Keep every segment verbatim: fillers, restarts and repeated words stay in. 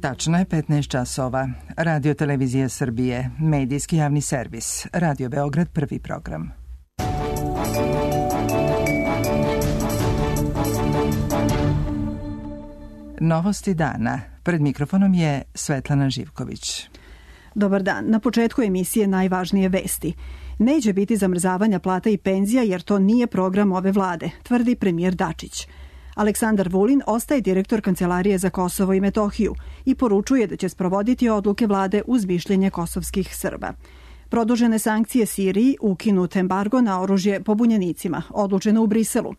Tačno je petnaest časova. Radio Televizija Srbije, medijski javni servis, Radio Beograd, prvi program. Novosti dana. Pred mikrofonom je Svetlana Živković. Dobar dan. Na početku emisije najvažnije vesti. Neće biti zamrzavanja plata i penzija jer to nije program ove vlade, tvrdi premijer Dačić. Aleksandar Vulin ostaje direktor Kancelarije za Kosovo i Metohiju i poručuje da će sprovoditi odluke vlade uz mišljenje kosovskih Srba. Produžene sankcije Siriji, ukinut embargo na oružje pobunjenicima, odlučeno u Briselu.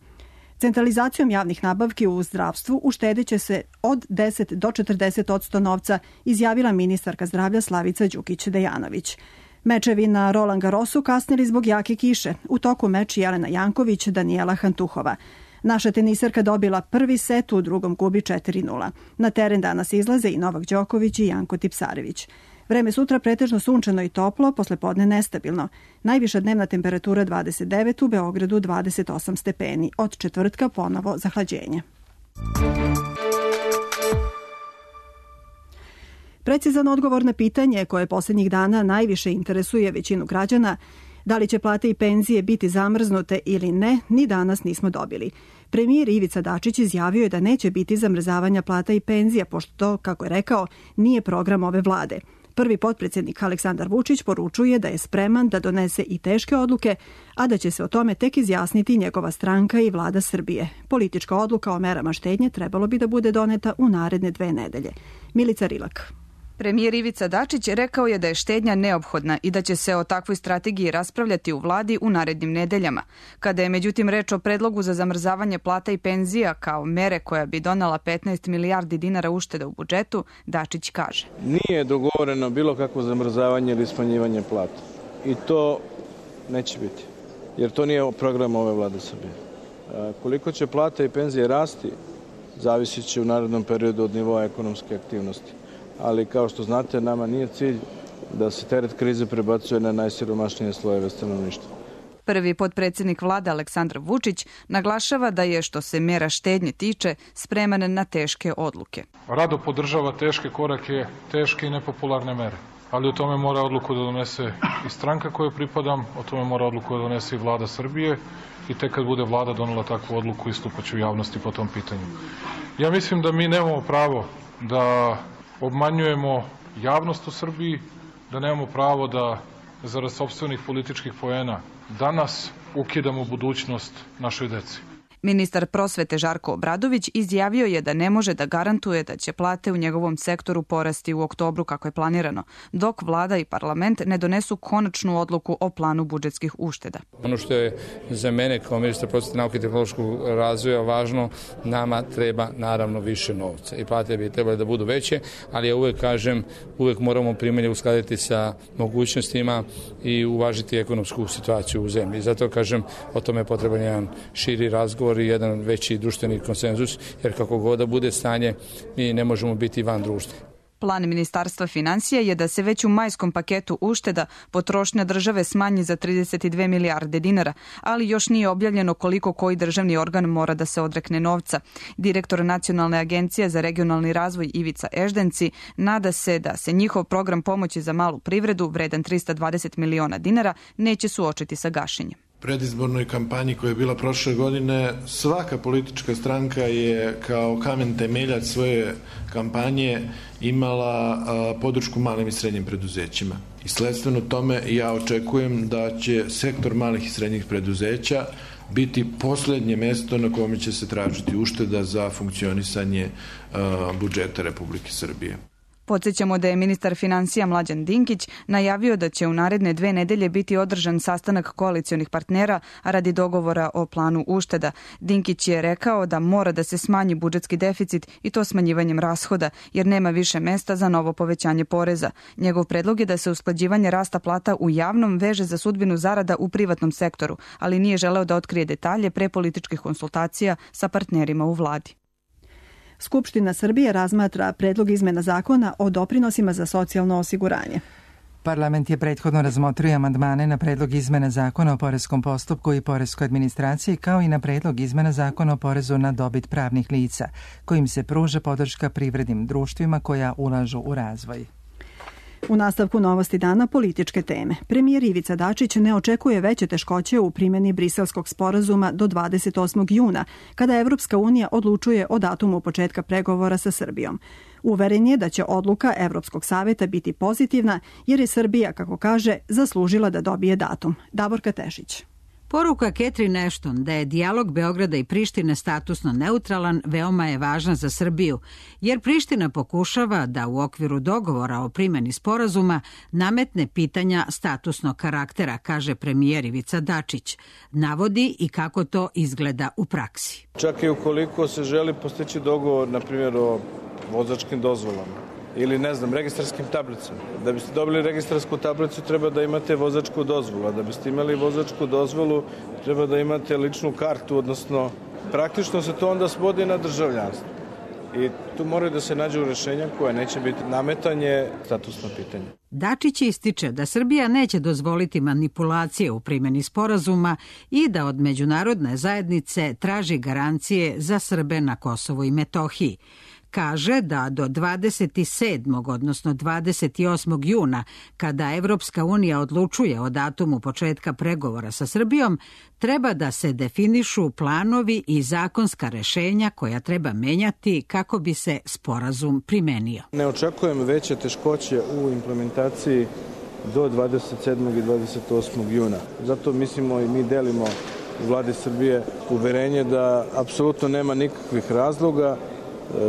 Centralizacijom javnih nabavki u zdravstvu uštedeće se od deset do četrdeset posto novca, izjavila ministarka zdravlja Slavica Đukić-Dejanović. Mečevi na Roland Garrosu kasnili zbog jake kiše. U toku meč Jelena Janković, Danijela Hantuhova. Naša teniserka dobila prvi set, u drugom gubi četiri nula. Na teren danas izlaze i Novak Đoković i Janko Tipsarević. Vreme sutra pretežno sunčano i toplo, poslepodne nestabilno. Najviša dnevna temperatura dvadeset devet, u Beogradu dvadeset osam stepeni. Od četvrtka ponovo zahlađenje. Precizan odgovor na pitanje koje posljednjih dana najviše interesuje većinu građana, da li će plate i penzije biti zamrznute ili ne, ni danas nismo dobili. Premijer Ivica Dačić izjavio je da neće biti zamrzavanja plata i penzija, pošto to, kako je rekao, nije program ove vlade. Prvi potpredsjednik Aleksandar Vučić poručuje da je spreman da donese i teške odluke, a da će se o tome tek izjasniti njegova stranka i vlada Srbije. Politička odluka o merama štednje trebalo bi da bude doneta u naredne dve nedelje. Milica Rilak. Premijer Ivica Dačić rekao je da je štednja neophodna i da će se o takvoj strategiji raspravljati u vladi u narednim nedeljama. Kada je međutim reč o predlogu za zamrzavanje plata i penzija kao mere koja bi donela petnaest milijardi dinara ušteda u budžetu, Dačić kaže: Nije dogovoreno bilo kakvo zamrzavanje ili smanjivanje plata. I to neće biti, jer to nije program ove vlade Srbije. Koliko će plata i penzije rasti, zavisit će u narednom periodu od nivoa ekonomske aktivnosti. Ali kao što znate, nama nije cilj da se teret krize prebacuje na najsiromašnije slojeve stanovništva. Prvi potpredsjednik vlade Aleksandar Vučić naglašava da je, što se mera štednje tiče, spreman na teške odluke. Rado podržava teške korake, teške i nepopularne mere, ali o tome mora odluku da donese i stranka kojoj pripadam, o tome mora odluku da donese i vlada Srbije i tek kad bude vlada donela takvu odluku istupaće u javnosti po tom pitanju. Ja mislim da mi nemamo pravo da obmanjujemo javnost u Srbiji, da nemamo pravo da zarad sopstvenih političkih poena danas ukidamo budućnost našoj deci. Ministar prosvete Žarko Obradović izjavio je da ne može da garantuje da će plate u njegovom sektoru porasti u oktobru kako je planirano, dok vlada i parlament ne donesu konačnu odluku o planu budžetskih ušteda. Ono što je za mene kao ministar prosvete, nauke i tehnološkog razvoja važno, nama treba naravno više novca i plate bi trebali da budu veće, ali ja uvek kažem, uvek moramo primanje uskladiti sa mogućnostima i uvažiti ekonomsku situaciju u zemlji. Zato kažem, o tome je potreban jedan širi razgovor i jedan veći društveni konsenzus, jer kako god da bude stanje, mi ne možemo biti van društva. Plan Ministarstva finansija je da se već u majskom paketu ušteda potrošnja države smanji za trideset dve milijarde dinara, ali još nije objavljeno koliko koji državni organ mora da se odrekne novca. Direktor Nacionalne agencije za regionalni razvoj Ivica Eždenci nada se da se njihov program pomoći za malu privredu, vredan trista dvadeset miliona dinara, neće suočiti sa gašenjem. Predizbornoj kampanji koja je bila prošle godine, svaka politička stranka je kao kamen temeljac svoje kampanje imala a, podršku malim i srednjim preduzećima. I sledstveno tome ja očekujem da će sektor malih i srednjih preduzeća biti posljednje mesto na kome će se tražiti ušteda za funkcionisanje a, budžeta Republike Srbije. Podsjećamo da je ministar finansija Mlađan Dinkić najavio da će u naredne dve nedelje biti održan sastanak koalicionih partnera radi dogovora o planu ušteda. Dinkić je rekao da mora da se smanji budžetski deficit i to smanjivanjem rashoda, jer nema više mesta za novo povećanje poreza. Njegov predlog je da se usklađivanje rasta plata u javnom veže za sudbinu zarada u privatnom sektoru, ali nije želeo da otkrije detalje pre političkih konsultacija sa partnerima u vladi. Skupština Srbije razmatra predlog izmena zakona o doprinosima za socijalno osiguranje. Parlament je prethodno razmotrio amandmane na predlog izmena zakona o poreskom postupku i poreskoj administraciji, kao i na predlog izmena zakona o porezu na dobit pravnih lica, kojim se pruža podrška privrednim društvima koja ulažu u razvoj. U nastavku Novosti dana političke teme. Premijer Ivica Dačić ne očekuje veće teškoće u primjeni Briselskog sporazuma do dvadeset osmog juna, kada Evropska unija odlučuje o datumu početka pregovora sa Srbijom. Uveren je da će odluka Evropskog saveta biti pozitivna, jer je Srbija, kako kaže, zaslužila da dobije datum. Davorka Tešić. Poruka Catherine Ashton da je dijalog Beograda i Prištine statusno neutralan veoma je važna za Srbiju, jer Priština pokušava da u okviru dogovora o primjeni sporazuma nametne pitanja statusnog karaktera, kaže premijer Ivica Dačić. Navodi i kako to izgleda u praksi. Čak i ukoliko se želi postići dogovor, na primjer, o vozačkim dozvolama ili, ne znam, registarskim tablicama. Da biste dobili registarsku tablicu treba da imate vozačku dozvolu, a da biste imali vozačku dozvolu treba da imate ličnu kartu, odnosno praktično se to onda svodi na državljanstvo. I tu moraju da se nađu rešenja koja neće biti nametanje statusno pitanje. Dačić ističe da Srbija neće dozvoliti manipulacije u primjeni sporazuma i da od međunarodne zajednice traži garancije za Srbe na Kosovu i Metohiji. Kaže da do dvadeset sedmog odnosno dvadeset osmog juna, kada Evropska unija odlučuje o datumu početka pregovora sa Srbijom, treba da se definišu planovi i zakonska rešenja koja treba menjati kako bi se sporazum primenio. Ne očekujem veće teškoće u implementaciji do dvadeset sedmog i dvadeset osmog juna. Zato mislimo i mi delimo u vladi Srbije uverenje da apsolutno nema nikakvih razloga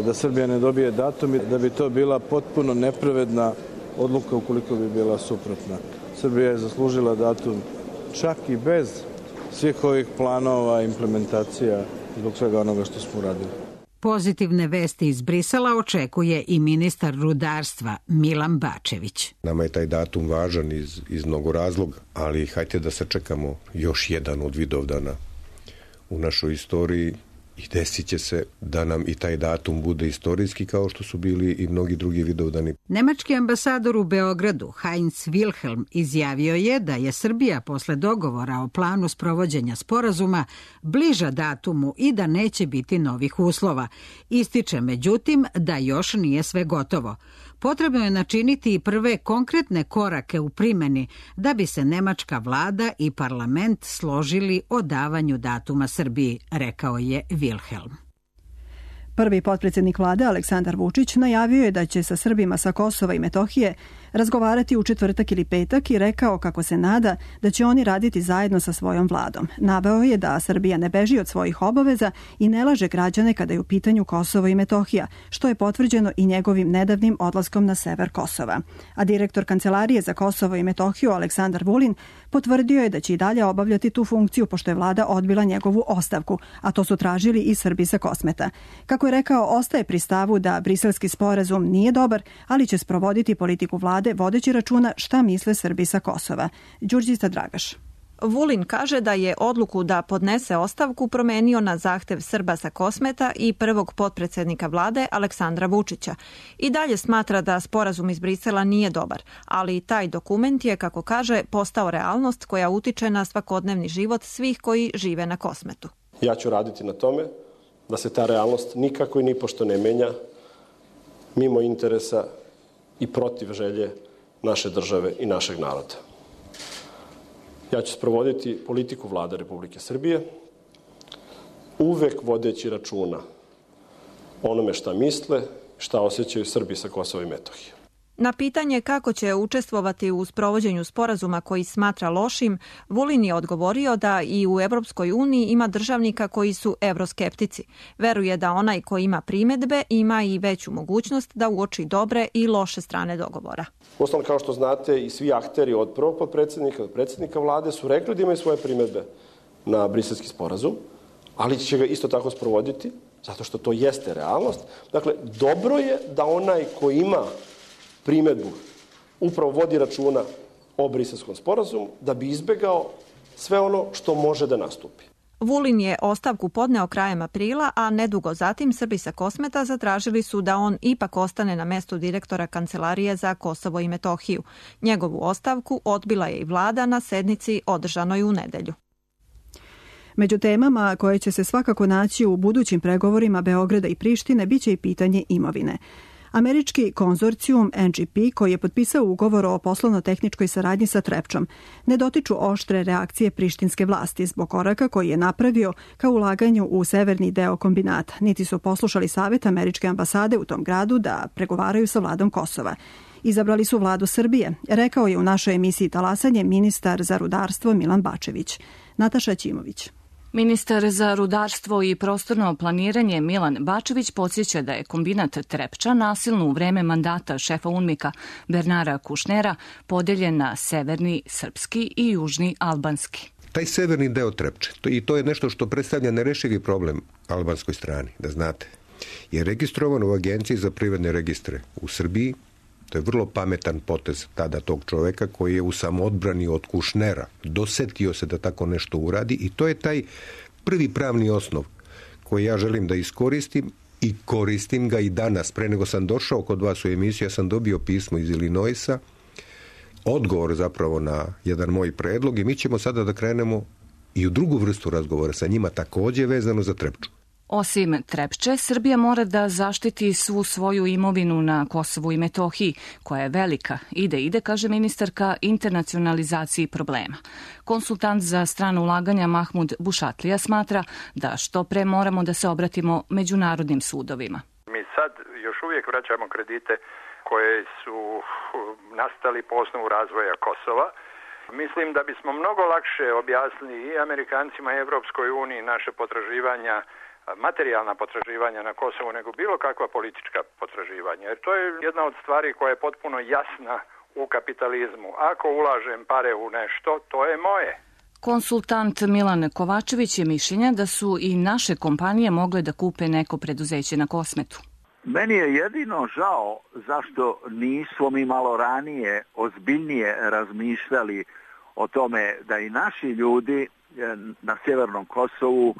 da Srbija ne dobije datum i da bi to bila potpuno nepravedna odluka ukoliko bi bila suprotna. Srbija je zaslužila datum čak i bez svih ovih planova, implementacija, zbog svega onoga što smo uradili. Pozitivne vesti iz Brisela očekuje i ministar rudarstva Milan Bačević. Nama je taj datum važan iz, iz mnogo razloga, ali hajte da sačekamo još jedan od Vidovdana u našoj istoriji. I desit će se da nam i taj datum bude istorijski kao što su bili i mnogi drugi Vidovdani. Nemački ambasador u Beogradu, Heinz Wilhelm, izjavio je da je Srbija posle dogovora o planu sprovođenja sporazuma bliža datumu i da neće biti novih uslova. Ističe međutim da još nije sve gotovo. Potrebno je načiniti i prve konkretne korake u primjeni da bi se nemačka vlada i parlament složili o davanju datuma Srbiji, rekao je Wilhelm. Prvi potpredsjednik vlade Aleksandar Vučić najavio je da će sa Srbima sa Kosova i Metohije razgovarati u četvrtak ili petak i rekao kako se nada da će oni raditi zajedno sa svojom vladom. Naveo je da Srbija ne beži od svojih obaveza i ne laže građane kada je u pitanju Kosovo i Metohija, što je potvrđeno i njegovim nedavnim odlaskom na sever Kosova. A direktor Kancelarije za Kosovo i Metohiju Aleksandar Vulin potvrdio je da će i dalje obavljati tu funkciju pošto je vlada odbila njegovu ostavku, a to su tražili i Srbi sa Kosmeta. Kako je rekao, ostaje pri stavu da briselski sporazum nije dobar, ali će sprovoditi politiku vlade vodeći računa šta misle Srbi sa Kosova. Đurđica Dragaš. Vulin kaže da je odluku da podnese ostavku promenio na zahtev Srba sa Kosmeta i prvog potpredsjednika vlade Aleksandra Vučića. I dalje smatra da sporazum iz Brisela nije dobar, ali taj dokument je, kako kaže, postao realnost koja utiče na svakodnevni život svih koji žive na Kosmetu. Ja ću raditi na tome da se ta realnost nikako i nipošto ne menja mimo interesa i protiv želje naše države i našeg naroda. Ja ću sprovoditi politiku vlade Republike Srbije, uvek vodeći računa onome šta misle, šta osjećaju Srbi sa Kosova i Metohije. Na pitanje kako će učestvovati u sprovođenju sporazuma koji smatra lošim, Vulin je odgovorio da i u Evropskoj uniji ima državnika koji su evroskeptici. Veruje da onaj ko ima primedbe ima i veću mogućnost da uoči dobre i loše strane dogovora. Uostalom, kao što znate, i svi akteri od prvog potpredsjednika do predsjednika vlade su rekli da imaju svoje primedbe na briselski sporazum, ali će ga isto tako sprovoditi, zato što to jeste realnost. Dakle, dobro je da onaj ko ima primedbu upravo vodi računa o briselskom sporazumu da bi izbegao sve ono što može da nastupi. Vulin je ostavku podneo krajem aprila, a nedugo zatim Srbi sa Kosmeta zatražili su da on ipak ostane na mestu direktora Kancelarije za Kosovo i Metohiju. Njegovu ostavku odbila je i vlada na sednici održanoj u nedelju. Među temama koje će se svakako naći u budućim pregovorima Beograda i Prištine biće i pitanje imovine. Američki konzorcijum N G P, koji je potpisao ugovor o poslovno-tehničkoj saradnji sa Trepčom, ne dotiču oštre reakcije prištinske vlasti zbog koraka koji je napravio kao ulaganju u severni deo kombinata, niti su poslušali savjet američke ambasade u tom gradu da pregovaraju sa vladom Kosova. Izabrali su vladu Srbije, rekao je u našoj emisiji Talasanje ministar za rudarstvo Milan Bačević. Nataša Ćimović. Ministar za rudarstvo i prostorno planiranje Milan Bačević podsjeća da je kombinat Trepča nasilno u vreme mandata šefa UNMIK-a Bernara Kušnera podeljen na severni srpski i južni albanski. Taj severni deo Trepče, to, i to je nešto što predstavlja nerešivi problem albanskoj strani, da znate, je registrovan u Agenciji za privredne registre u Srbiji. To je vrlo pametan potez tada tog čoveka koji je u samoodbrani od Kušnera dosetio se da tako nešto uradi i to je taj prvi pravni osnov koji ja želim da iskoristim i koristim ga i danas. Pre nego sam došao kod vas u emisiju, ja sam dobio pismo iz Illinoisa, odgovor zapravo na jedan moj predlog i mi ćemo sada da krenemo i u drugu vrstu razgovora sa njima takođe vezano za Trepču. Osim Trepče, Srbija mora da zaštiti svu svoju imovinu na Kosovu i Metohiji, koja je velika. Ide, ide, kaže ministarka, internacionalizaciji problema. Konsultant za strano ulaganja Mahmud Bušatlija smatra da što pre moramo da se obratimo međunarodnim sudovima. Mi sad još uvijek vraćamo kredite koje su nastali po osnovu razvoja Kosova. Mislim da bismo mnogo lakše objasnili i Amerikancima i Evropskoj uniji naše potraživanja, materijalna potraživanja na Kosovu nego bilo kakva politička potraživanja. Jer to je jedna od stvari koja je potpuno jasna u kapitalizmu. Ako ulažem pare u nešto, to je moje. Konsultant Milan Kovačević je mišljenja da su i naše kompanije mogle da kupe neko preduzeće na Kosmetu. Meni je jedino žao zašto nismo mi malo ranije ozbiljnije razmišljali o tome da i naši ljudi na Sjevernom Kosovu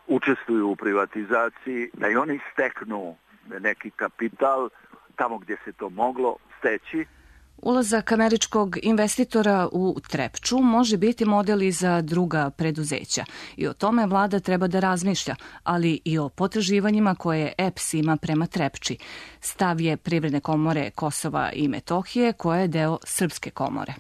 učestvuju u privatizaciji, da i oni steknu neki kapital tamo gdje se to moglo steći. Ulazak američkog investitora u Trepču može biti model i za druga preduzeća i o tome vlada treba da razmišlja, ali i o potraživanjima koje E P S ima prema Trepči. Stav je Privredne komore Kosova i Metohije, koja je deo Srpske komore.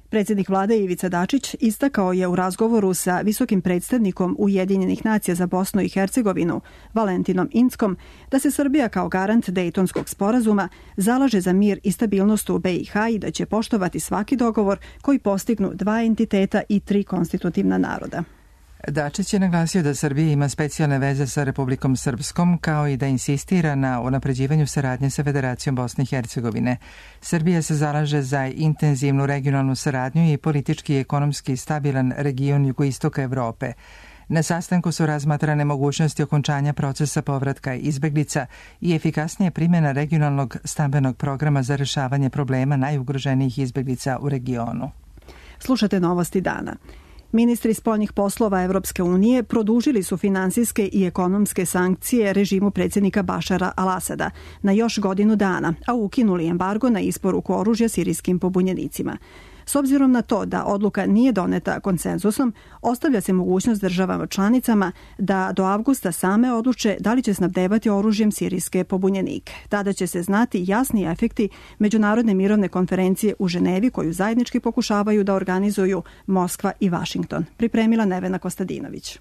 Predsjednik vlade Ivica Dačić istakao je u razgovoru sa visokim predstavnikom Ujedinjenih nacija za Bosnu i Hercegovinu, Valentinom Inckom, da se Srbija kao garant Dejtonskog sporazuma zalaže za mir i stabilnost u B i H i da će poštovati svaki dogovor koji postignu dva entiteta i tri konstitutivna naroda. Dačić je naglasio da Srbija ima specijalne veze sa Republikom Srpskom, kao i da insistira na unapređivanju saradnje sa Federacijom Bosne i Hercegovine. Srbija se zalaže za intenzivnu regionalnu saradnju i politički i ekonomski stabilan region jugoistoka Evrope. Na sastanku su razmatrane mogućnosti okončanja procesa povratka izbeglica i efikasnije primjena regionalnog stambenog programa za rešavanje problema najugroženijih izbeglica u regionu. Slušate novosti dana. Ministri spoljnih poslova Evropske unije produžili su finansijske i ekonomske sankcije režimu predsjednika Bašara al-Asada na još godinu dana, a ukinuli embargo na isporuku oružja sirijskim pobunjenicima. S obzirom na to da odluka nije doneta konsenzusom, ostavlja se mogućnost državama članicama da do avgusta same odluče da li će snabdevati oružjem sirijske pobunjenike. Tada će se znati jasni efekti Međunarodne mirovne konferencije u Ženevi koju zajednički pokušavaju da organizuju Moskva i Vašington. Pripremila Nevena Kostadinović.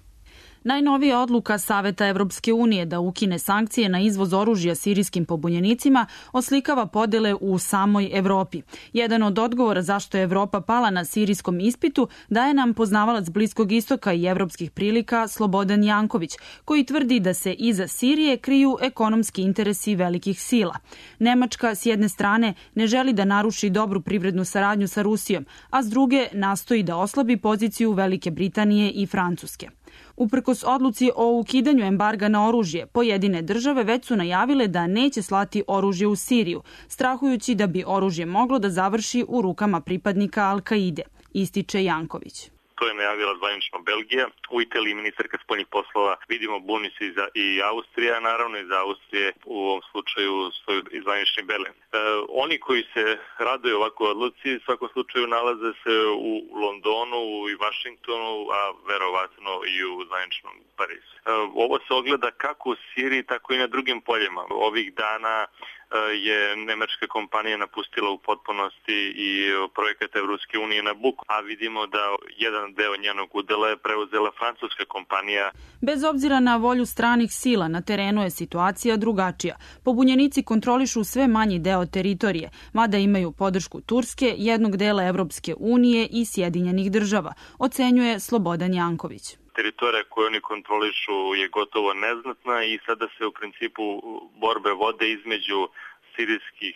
Najnovija odluka Saveta Evropske unije da ukine sankcije na izvoz oružja sirijskim pobunjenicima oslikava podele u samoj Evropi. Jedan od odgovora zašto je Evropa pala na sirijskom ispitu daje nam poznavalac Bliskog istoka i evropskih prilika Slobodan Janković, koji tvrdi da se iza Sirije kriju ekonomski interesi velikih sila. Nemačka s jedne strane ne želi da naruši dobru privrednu saradnju sa Rusijom, a s druge nastoji da oslabi poziciju Velike Britanije i Francuske. Uprkos odluci o ukidanju embarga na oružje, pojedine države već su najavile da neće slati oružje u Siriju, strahujući da bi oružje moglo da završi u rukama pripadnika Al-Kaide, ističe Janković. To je najavila zvanično Belgija. U Italiji ministarka spoljnih poslova, vidimo buni se i, za, i Austrija, naravno i za Austrije u ovom slučaju svoju zvanični Berlin. E, oni koji se raduju ovakvoj odluci u svakom slučaju nalaze se u Londonu i Vašingtonu, a verovatno i u zvaničnom Parizu. E, ovo se ogleda kako u Siriji, tako i na drugim poljima. Ovih dana je nemačka kompanija napustila u potpunosti i projekat Evropske unije Nabucco, a vidimo da jedan deo njenog udela je preuzela francuska kompanija. Bez obzira na volju stranih sila, na terenu je situacija drugačija. Pobunjenici kontrolišu sve manji deo teritorije, mada imaju podršku Turske, jednog dela Evropske unije i Sjedinjenih država, ocenjuje Slobodan Janković. Teritorija koju oni kontrolišu je gotovo neznatna i sada se u principu borbe vode između sirijskih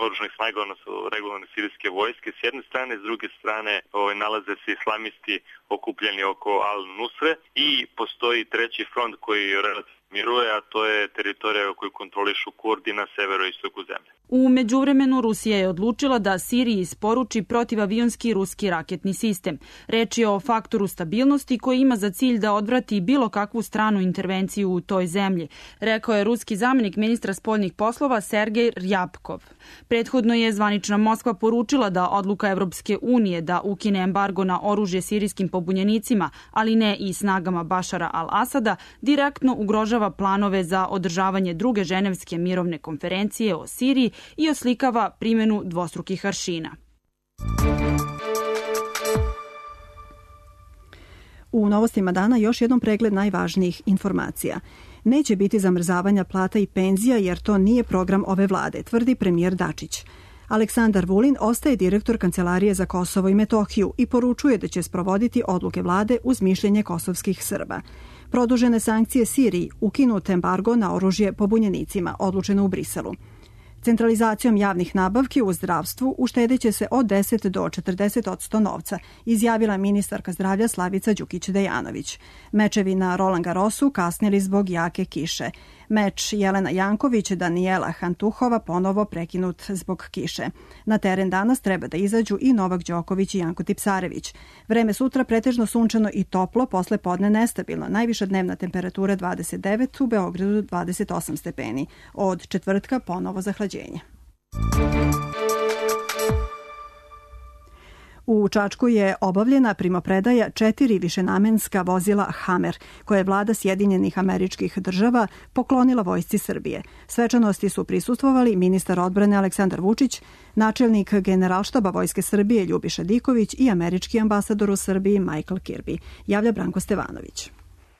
oružanih snaga, odnosno regularne sirijske vojske s jedne strane, s druge strane ovaj, nalaze se islamisti okupljeni oko Al-Nusre i postoji treći front koji relativno miruje, a to je teritorija koju kontrolišu Kurdi na severoistoku zemlje. U međuvremenu Rusija je odlučila da Siriji isporuči protivavionski ruski raketni sistem. Reč je o faktoru stabilnosti koji ima za cilj da odvrati bilo kakvu stranu intervenciju u toj zemlji, rekao je ruski zamenik ministra spoljnih poslova Sergej Rjapkov. Prethodno je zvanična Moskva poručila da odluka Evropske unije da ukine embargo na oružje sirijskim pobunjenicima, ali ne i snagama Bašara al-Asada, direktno ugrožava planove za održavanje druge ženevske mirovne konferencije o Siriji i oslikava primjenu dvostrukih aršina. U novostima dana još jednom pregled najvažnijih informacija. Neće biti zamrzavanja plata i penzija jer to nije program ove vlade, tvrdi premijer Dačić. Aleksandar Vulin ostaje direktor Kancelarije za Kosovo i Metohiju i poručuje da će sprovoditi odluke vlade uz mišljenje kosovskih Srba. Produžene sankcije Siriji, ukinut embargo na oružje pobunjenicima, odlučeno u Briselu. Centralizacijom javnih nabavki u zdravstvu uštedeće se od deset do četrdeset odsto novca, izjavila ministarka zdravlja Slavica Đukić-Dejanović. Mečevi na Roland Garrosu kasnili zbog jake kiše. Meč Jelena Janković, Danijela Hantuhova ponovo prekinut zbog kiše. Na teren danas treba da izađu i Novak Đoković i Janko Tipsarević. Vreme sutra pretežno sunčano i toplo, posle podne nestabilno. Najviša dnevna temperatura dvadeset devet, u Beogradu dvadeset osam stepeni. Od četvrtka ponovo zahlađenje. U Čačku je obavljena primopredaja četiri višenamenska vozila Hammer, koje je vlada Sjedinjenih Američkih Država poklonila vojsci Srbije. Svečanosti su prisustvovali ministar odbrane Aleksandar Vučić, načelnik Generalštaba Vojske Srbije Ljubiša Diković i američki ambasador u Srbiji Michael Kirby, javlja Branko Stevanović.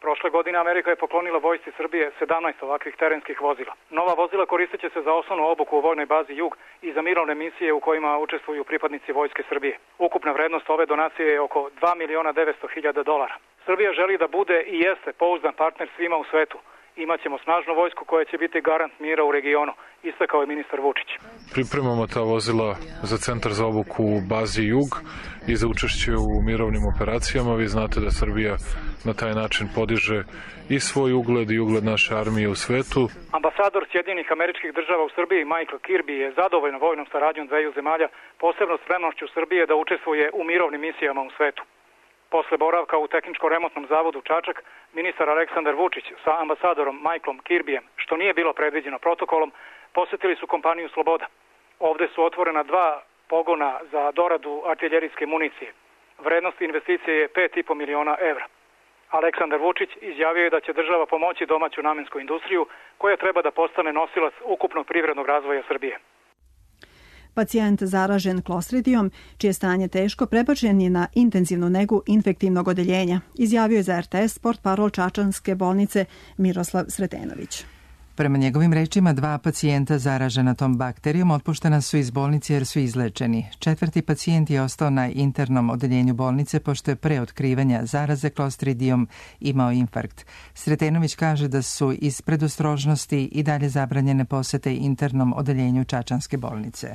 Prošle godine Amerika je poklonila vojsci Srbije sedamnaest ovakvih terenskih vozila. Nova vozila koristit će se za osnovnu obuku u vojnoj bazi Jug i za mirovne misije u kojima učestvuju pripadnici vojske Srbije. Ukupna vrednost ove donacije je oko dva miliona devetsto hiljada dolara. Srbija želi da bude i jeste pouzdan partner svima u svetu. Imaćemo snažnu vojsku koja će biti garant mira u regionu, istakao je ministar Vučić. Pripremamo ta vozila za centar za obuku u bazi Jug i za učešće u mirovnim operacijama. Vi znate da Srbija na taj način podiže i svoj ugled i ugled naše armije u svetu. Ambasador Sjedinjenih Američkih Država u Srbiji Michael Kirby je zadovoljan vojnom saradnjom dveju zemalja, posebno spremnošću Srbije da učestvuje u mirovnim misijama u svetu. Posle boravka u tehničko-remontnom zavodu Čačak, ministar Aleksandar Vučić sa ambasadorom Michaelom Kirbyjem, što nije bilo predviđeno protokolom, posetili su kompaniju Sloboda. Ovde su otvorena dva pogona za doradu artiljerijske municije. Vrednost investicije je pet i po miliona evra. Aleksandar Vučić izjavio je da će država pomoći domaću namensku industriju koja treba da postane nosilac ukupnog privrednog razvoja Srbije. Pacijent zaražen klostridijom, čije stanje teško, prebačen je na intenzivnu negu infektivnog odeljenja, izjavio je za er te es portparol Čačanske bolnice Miroslav Sretenović. Prema njegovim rečima, dva pacijenta zaražena tom bakterijom otpuštena su iz bolnice jer su izlečeni. Četvrti pacijent je ostao na internom odeljenju bolnice pošto je pre otkrivanja zaraze klostridijom imao infarkt. Sretenović kaže da su iz predostrožnosti i dalje zabranjene posete internom odeljenju Čačanske bolnice.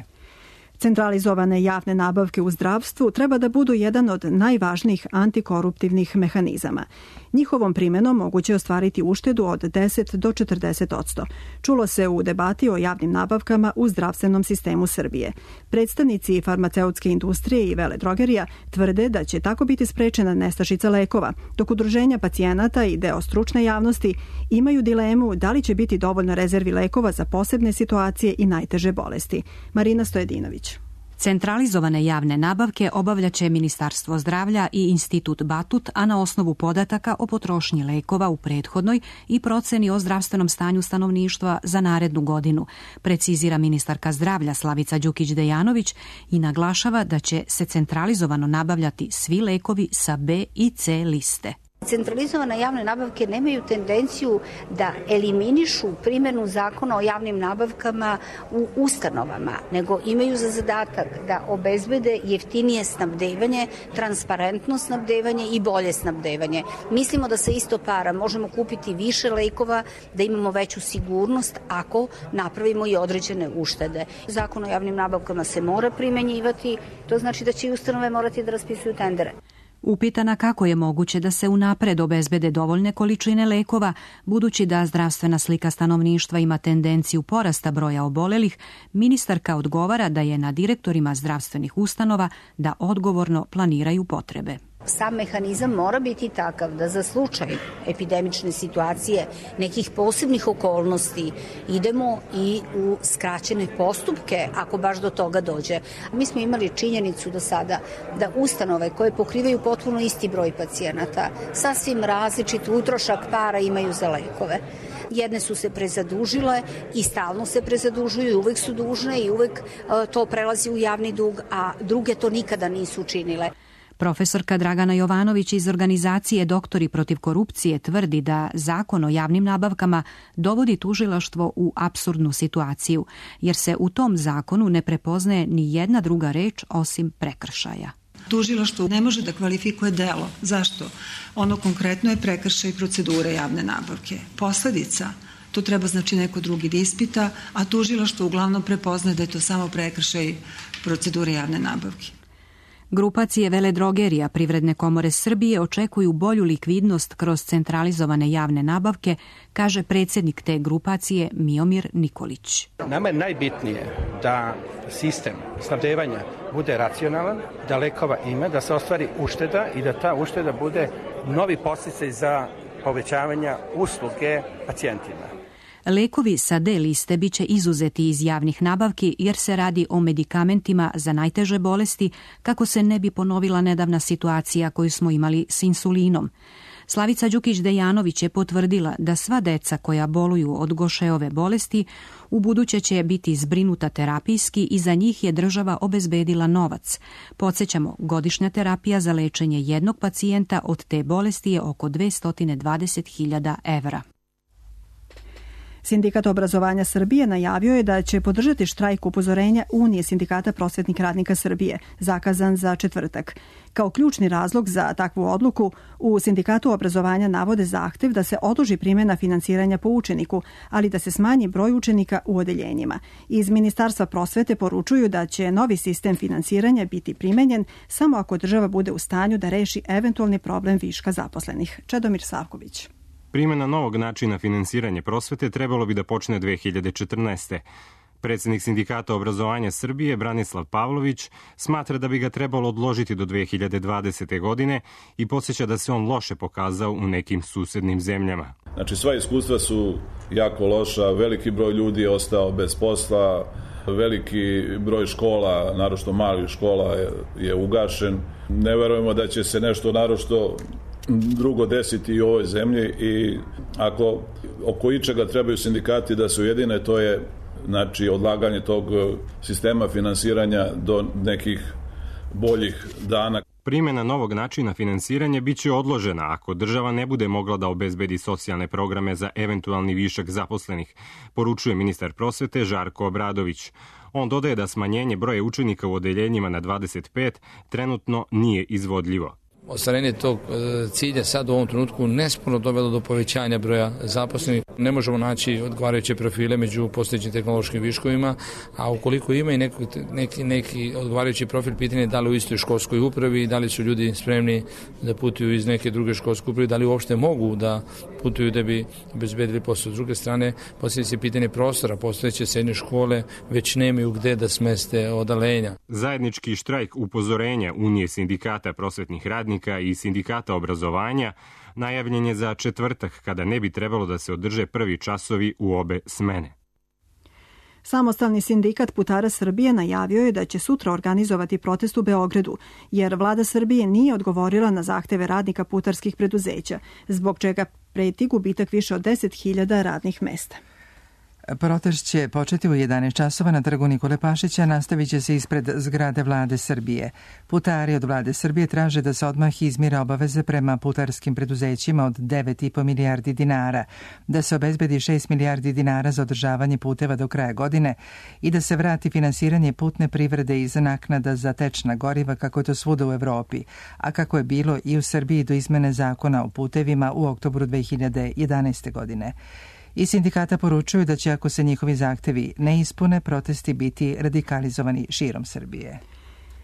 Centralizovane javne nabavke u zdravstvu treba da budu jedan od najvažnijih antikoruptivnih mehanizama. Njihovom primenom moguće ostvariti uštedu od deset do četrdeset odsto. Čulo se u debati o javnim nabavkama u zdravstvenom sistemu Srbije. Predstavnici farmaceutske industrije i veledrogerija tvrde da će tako biti sprečena nestašica lekova, dok udruženja pacijenata i deo stručne javnosti imaju dilemu da li će biti dovoljno rezervi lekova za posebne situacije i najteže bolesti. Marina Stojedinović. Centralizovane javne nabavke obavljaće Ministarstvo zdravlja i Institut Batut, a na osnovu podataka o potrošnji lekova u prethodnoj i proceni o zdravstvenom stanju stanovništva za narednu godinu, precizira ministarka zdravlja Slavica Đukić-Dejanović i naglašava da će se centralizovano nabavljati svi lekovi sa B i C liste. Centralizovane javne nabavke nemaju tendenciju da eliminišu primjenu zakona o javnim nabavkama u ustanovama, nego imaju za zadatak da obezbede jeftinije snabdevanje, transparentno snabdevanje i bolje snabdevanje. Mislimo da sa isto para možemo kupiti više lekova, da imamo veću sigurnost ako napravimo i određene uštede. Zakon o javnim nabavkama se mora primenjivati, to znači da će i ustanove morati da raspisuju tendere. Upitana kako je moguće da se unapred obezbede dovoljne količine lekova, budući da zdravstvena slika stanovništva ima tendenciju porasta broja obolelih, ministarka odgovara da je na direktorima zdravstvenih ustanova da odgovorno planiraju potrebe. Sam mehanizam mora biti takav da za slučaj epidemične situacije, nekih posebnih okolnosti, idemo i u skraćene postupke ako baš do toga dođe. Mi smo imali činjenicu do sada da ustanove koje pokrivaju potpuno isti broj pacijenata, sasvim različit utrošak para imaju za lekove. Jedne su se prezadužile i stalno se prezadužuju i uvek su dužne i uvek to prelazi u javni dug, a druge to nikada nisu učinile. Profesorka Dragana Jovanović iz organizacije Doktori protiv korupcije tvrdi da zakon o javnim nabavkama dovodi tužilaštvo u apsurdnu situaciju, jer se u tom zakonu ne prepoznaje ni jedna druga reč osim prekršaja. Tužilaštvo ne može da kvalifikuje delo. Zašto? Ono konkretno je prekršaj procedure javne nabavke. Posledica, to treba znači neko drugi da ispita, a tužilaštvo uglavnom prepoznaje da je to samo prekršaj procedure javne nabavke. Grupacije veledrogerija Privredne komore Srbije očekuju bolju likvidnost kroz centralizovane javne nabavke, kaže predsjednik te grupacije Miomir Nikolić. Nama je najbitnije da sistem snabdevanja bude racionalan, da lekova ima, da se ostvari ušteda i da ta ušteda bude novi podsticaj za povećavanje usluge pacijentima. Lekovi sa D liste biće izuzeti iz javnih nabavki jer se radi o medikamentima za najteže bolesti, kako se ne bi ponovila nedavna situacija koju smo imali s insulinom. Slavica Đukić-Dejanović je potvrdila da sva deca koja boluju od Gošeove bolesti u buduće će biti zbrinuta terapijski i za njih je država obezbedila novac. Podsjećamo, godišnja terapija za lečenje jednog pacijenta od te bolesti je oko dvesta dvadeset hiljada evra. Sindikat obrazovanja Srbije najavio je da će podržati štrajk upozorenja Unije sindikata prosvetnih radnika Srbije, zakazan za četvrtak. Kao ključni razlog za takvu odluku, u Sindikatu obrazovanja navode zahtev da se odloži primjena finansiranja po učeniku, ali da se smanji broj učenika u odeljenjima. Iz Ministarstva prosvete poručuju da će novi sistem finansiranja biti primenjen samo ako država bude u stanju da reši eventualni problem viška zaposlenih. Čedomir Savković. Primjena novog načina finansiranja prosvete trebalo bi da počne dve hiljade četrnaeste. Predsjednik Sindikata obrazovanja Srbije Branislav Pavlović smatra da bi ga trebalo odložiti do dve hiljade dvadesete. godine i podsjeća da se on loše pokazao u nekim susednim zemljama. Znači, sva iskustva su jako loša, veliki broj ljudi je ostao bez posla, veliki broj škola, naročito malih škola je, je ugašen. Ne verujemo da će se nešto naročito drugo desiti i u ovoj zemlji i ako oko ičega trebaju sindikati da se ujedine, to je znači odlaganje tog sistema finansiranja do nekih boljih dana. Primjena novog načina finansiranja biće odložena ako država ne bude mogla da obezbedi socijalne programe za eventualni višak zaposlenih, poručuje ministar prosvete Žarko Obradović. On dodaje da smanjenje broja učenika u odeljenjima na dvadeset pet trenutno nije izvodljivo. Ostvarenje tog cilja sad u ovom trenutku nesporno dovelo do povećanja broja zaposlenih. Ne možemo naći odgovarajuće profile među postojećim tehnološkim viškovima, a ukoliko ima i neki, neki, neki odgovarajući profil, pitanje je da li u istoj školskoj upravi, da li su ljudi spremni da putuju iz neke druge školske uprave, da li uopšte mogu da putuju da bi obezbedili posao. S druge strane, postavlja se pitanje prostora, postojeće srednje škole već nemaju gde da smeste odalenja. Zajednički štrajk upozorenja Unije sindikata prosvetnih radnika i sindikata obrazovanja najavljen je za četvrtak, kada ne bi trebalo da se održe prvi časovi u obe smene. Samostalni sindikat putara Srbije najavio je da će sutra organizovati protest u Beogradu, jer vlada Srbije nije odgovorila na zahteve radnika putarskih preduzeća, zbog čega preti gubitak više od deset hiljada radnih mesta. Protest će početi u jedanaest časova na trgu Nikole Pašića, nastavit će se ispred zgrade vlade Srbije. Putari od vlade Srbije traže da se odmah izmire obaveze prema putarskim preduzećima od devet i po milijardi dinara, da se obezbedi šest milijardi dinara za održavanje puteva do kraja godine i da se vrati finansiranje putne privrede iz naknada za tečna goriva kako je to svuda u Evropi, a kako je bilo i u Srbiji do izmene zakona o putevima u oktobru dve hiljade jedanaeste. godine. I sindikata poručuju da će, ako se njihovi zahtevi ne ispune, protesti biti radikalizovani širom Srbije.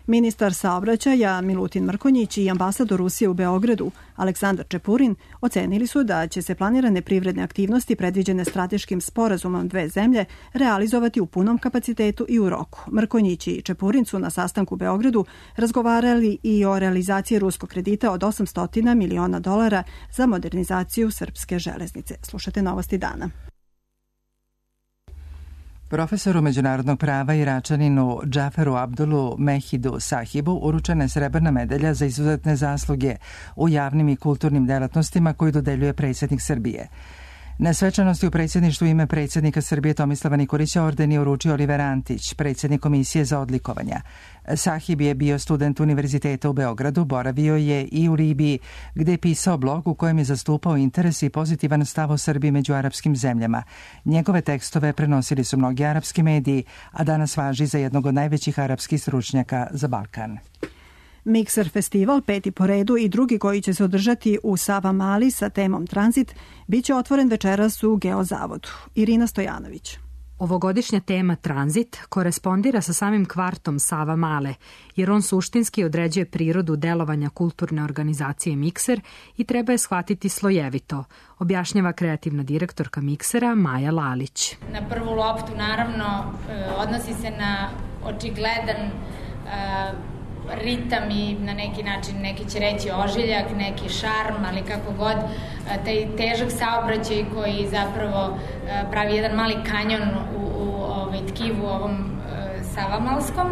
Ministar saobraćaja Milutin Mrkonjić i ambasador Rusije u Beogradu Aleksandar Čepurin ocenili su da će se planirane privredne aktivnosti predviđene strateškim sporazumom dve zemlje realizovati u punom kapacitetu i u roku. Mrkonjić i Čepurin su na sastanku u Beogradu razgovarali i o realizaciji ruskog kredita od osamsto miliona dolara za modernizaciju srpske železnice. Slušate Novosti dana. Profesoru međunarodnog prava Iračaninu Džaferu Abdulu Mehidu Sahibu uručena je srebrna medalja za izuzetne zasluge u javnim i kulturnim delatnostima koju dodeljuje predsjednik Srbije. Na svečanosti u predsjedništvu ime predsjednika Srbije Tomislava Nikolića orden je uručio Oliver Antić, predsjednik Komisije za odlikovanja. Sahib je bio student univerziteta u Beogradu, boravio je i u Libiji, gde je pisao blog u kojem je zastupao interes i pozitivan stav o Srbiji među arapskim zemljama. Njegove tekstove prenosili su mnogi arapski mediji, a danas važi za jednog od najvećih arapskih stručnjaka za Balkan. Mikser festival, peti po redu i drugi koji će se održati u Savamali sa temom Tranzit, bit će otvoren večeras u Geozavodu. Irina Stojanović. Ovogodišnja tema Tranzit korespondira sa samim kvartom Savamale, jer on suštinski određuje prirodu delovanja kulturne organizacije Mikser i treba je shvatiti slojevito, objašnjava kreativna direktorka Miksera Maja Lalić. Na prvu loptu naravno odnosi se na očigledan ritam i na neki način, neki će reći ožiljak, neki šarm, ali kako god, taj težak saobraćaj koji zapravo pravi jedan mali kanjon u, u ovaj, tkivu ovom Savamalskom.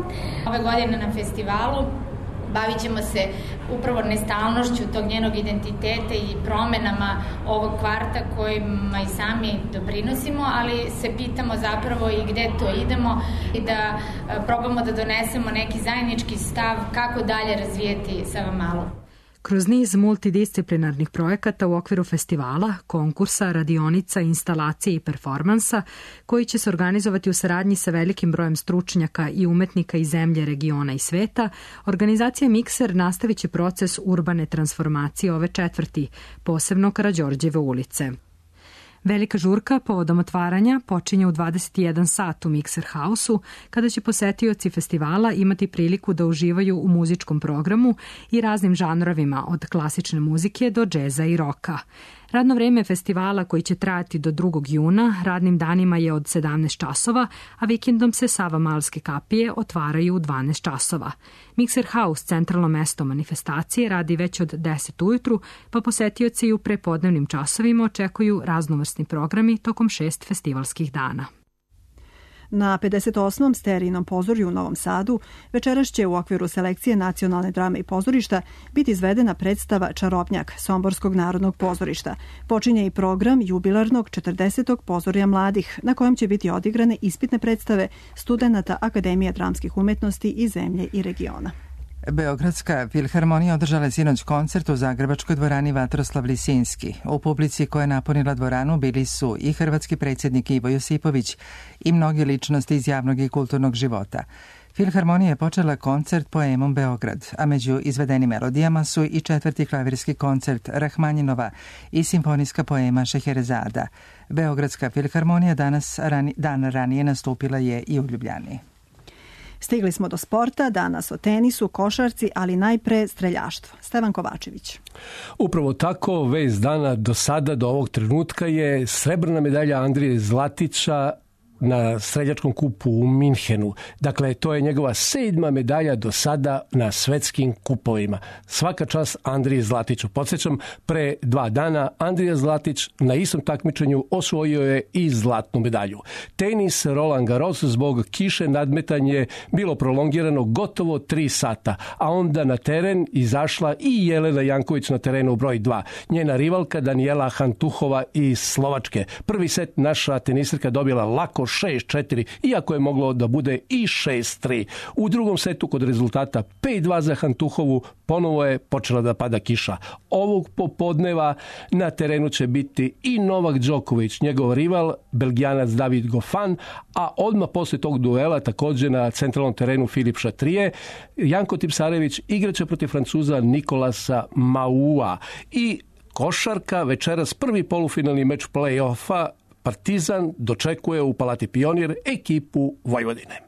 Ove godine na festivalu bavit ćemo se upravo nestalnošću tog njenog identiteta i promenama ovog kvarta kojima i sami doprinosimo, ali se pitamo zapravo i gde to idemo i da probamo da donesemo neki zajednički stav kako dalje razvijeti Savamalu. Kroz niz multidisciplinarnih projekata u okviru festivala, konkursa, radionica, instalacije i performansa, koji će se organizovati u saradnji sa velikim brojem stručnjaka i umetnika iz zemlje, regiona i sveta, organizacija Mikser nastavit će proces urbane transformacije ove četvrti, posebno Karađorđeve ulice. Velika žurka povodom otvaranja počinje u dvadeset jedan sat u Mikser House-u, kada će posetioci festivala imati priliku da uživaju u muzičkom programu i raznim žanrovima od klasične muzike do džeza i roka. Radno vreme festivala, koji će trajati do drugog juna, radnim danima je od sedamnaest časova, a vikendom se Savamalske kapije otvaraju u dvanaest časova. Mikser House, centralno mesto manifestacije, radi već od deset ujutru, pa posetioci u prepodnevnim časovima očekuju raznovrsni programi tokom šest festivalskih dana. Na pedeset osmom Sterijinom pozorju u Novom Sadu večeras će u okviru selekcije Nacionalne drame i pozorišta biti izvedena predstava Čarobnjak Somborskog narodnog pozorišta. Počinje i program jubilarnog četrdesetog pozorja mladih, na kojem će biti odigrane ispitne predstave studenata Akademije dramskih umetnosti iz zemlje i regiona. Beogradska filharmonija održala je sinoć koncert u zagrebačkoj dvorani Vatroslav Lisinski. U publici koja je napunila dvoranu bili su i hrvatski predsjednik Ivo Josipović i mnoge ličnosti iz javnog i kulturnog života. Filharmonija je počela koncert poemom Beograd, a među izvedenim melodijama su i četvrti klavirski koncert Rahmanjinova i simfonijska poema Šeherezada. Beogradska filharmonija danas rani, dan ranije nastupila je i u Ljubljani. Stigli smo do sporta, danas o tenisu, košarci, ali najpre streljaštvo. Stevan Kovačević. Upravo tako, vez dana do sada, do ovog trenutka je srebrna medalja Andrije Zlatića na streljačkom kupu u Minhenu. Dakle, to je njegova sedma medalja do sada na svetskim kupovima. Svaka čast Andriji Zlatiću. Podsjećam, pre dva dana Andrija Zlatić na istom takmičenju osvojio je i zlatnu medalju. Tenis Roland Garros zbog kiše nadmetanje bilo prolongirano gotovo tri sata, a onda na teren izašla i Jelena Janković na terenu broj dva. Njena rivalka Danijela Hantuhova iz Slovačke. Prvi set naša tenisirka dobila lako šest četiri, iako je moglo da bude i šest tri. U drugom setu kod rezultata pet dva za Hantuhovu ponovo je počela da pada kiša. Ovog popodneva na terenu će biti i Novak Đoković, njegov rival, Belgijanac David Goffin, a odmah posle tog duela također na centralnom terenu Filip Chatrier, Janko Tipsarević igraće protiv Francuza Nikolasa Maua. I košarka, večeras prvi polufinalni meč play-offa, Partizan dočekuje u Palati Pionir ekipu Vojvodine.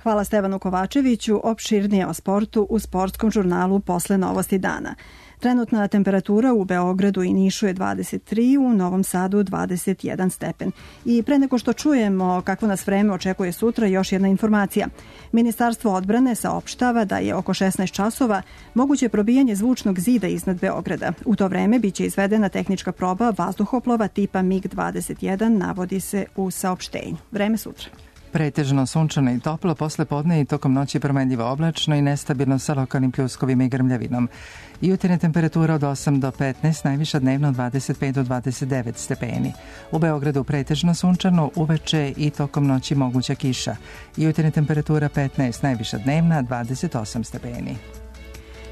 Hvala Stevanu Kovačeviću. Opširnije o sportu u sportskom žurnalu posle novosti dana. Trenutna temperatura u Beogradu i Nišu je dvadeset tri, u Novom Sadu dvadeset jedan stepen. I pre nego što čujemo kakvo nas vreme očekuje sutra, još jedna informacija. Ministarstvo odbrane saopštava da je oko šesnaest časova moguće probijanje zvučnog zida iznad Beograda. U to vreme biće izvedena tehnička proba vazduhoplova tipa mig dvadeset jedan, navodi se u saopštenju. Vreme sutra. Pretežno sunčano i toplo, posle podne i tokom noći promenljivo oblačno i nestabilno sa lokalnim pljuskovima i grmljavinom. Jutarnja temperatura od osam do petnaest, najviša dnevno od dvadeset pet do dvadeset devet stepeni. U Beogradu pretežno sunčano, uveče i tokom noći moguća kiša. Jutarnja temperatura petnaest, najviša dnevna dvadeset osam stepeni.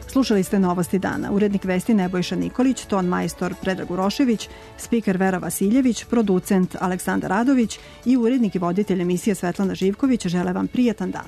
Slušali ste novosti dana. Urednik vesti Nebojša Nikolić, ton majstor Predrag Urošević, spiker Vera Vasiljević, producent Aleksandar Radović i urednik i voditelj emisije Svetlana Živković žele vam prijatan dan.